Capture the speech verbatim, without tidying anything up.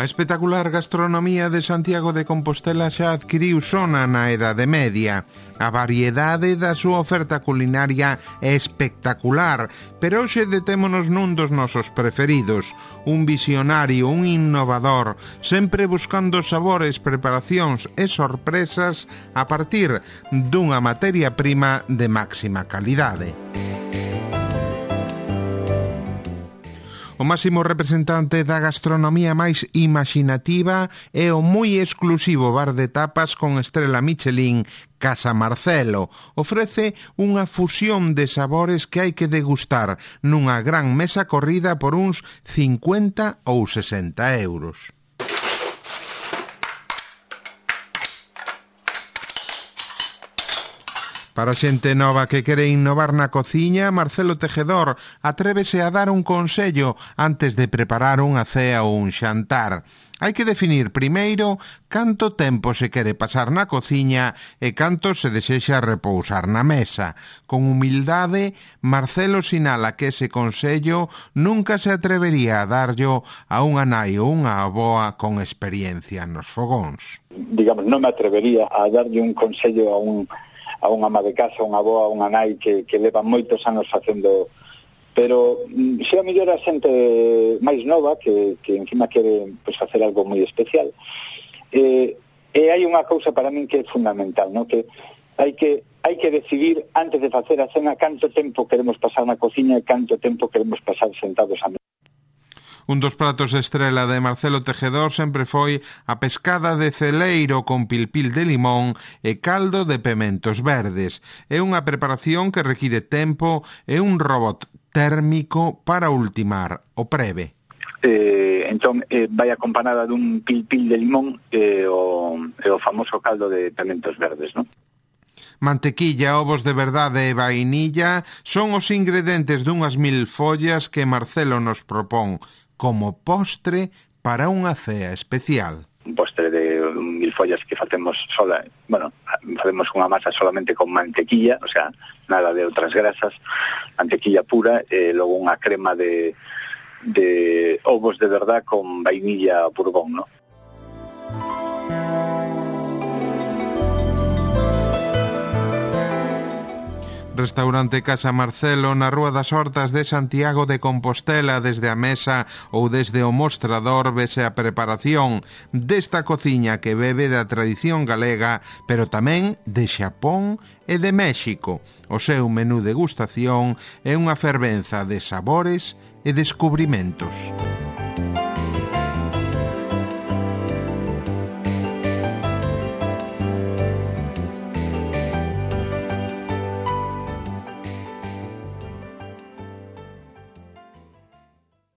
A espectacular gastronomía de Santiago de Compostela xa adquiriu sona na Edade Media. A variedade da súa oferta culinaria é espectacular, pero hoxe detémonos nun dos nosos preferidos, un visionario, un innovador, sempre buscando sabores, preparacións e sorpresas a partir dunha materia prima de máxima calidade. O máximo representante da gastronomía máis imaxinativa é o moi exclusivo bar de tapas con estrela Michelin Casa Marcelo. Ofrece unha fusión de sabores que hai que degustar nunha gran mesa corrida por uns cincuenta ou sesenta euros. Para xente nova que quere innovar na cociña, Marcelo Tejedor atrévese a dar un consello antes de preparar unha cea ou un xantar. Hai que definir primeiro canto tempo se quere pasar na cociña e canto se desexa repousar na mesa. Con humildade, Marcelo sinala que ese consello nunca se atrevería a darllo a unha nai ou unha avoa con experiencia nos fogóns. Digamos, non me atrevería a darlle un consello a un a unha ama de casa, unha avoa, unha nai que, que leva moitos anos facendo, pero se a mellor a xente máis nova que, que encima quere pues, facer algo moi especial, eh, e hai unha cousa para min que é fundamental, ¿no? Que hai que hai que decidir antes de facer a cena canto tempo queremos pasar na cociña e canto tempo queremos pasar sentados a mesa. Un dos pratos estrela de Marcelo Tejedor sempre foi a pescada de celeiro con pilpil de limón e caldo de pementos verdes. É unha preparación que require tempo e un robot térmico para ultimar o preve. Eh, entón, eh, vai acompañada dun pilpil de limón e o, e o famoso caldo de pementos verdes, non? Mantequilla, ovos de verdade e vainilla son os ingredientes dunhas mil follas que Marcelo nos propón como postre para unha cea especial. Un postre de mil follas que facemos sola, bueno, facemos unha masa solamente con mantequilla, o sea, nada de outras grasas, mantequilla pura e logo unha crema de, de ovos de verdad con vainilla bourbon, ¿no? Restaurante Casa Marcelo na Rúa das Hortas de Santiago de Compostela. Desde a mesa ou desde o mostrador vese a preparación desta cociña que bebe da tradición galega, pero tamén de Xapón e de México. O seu menú degustación é unha fervenza de sabores e descubrimentos.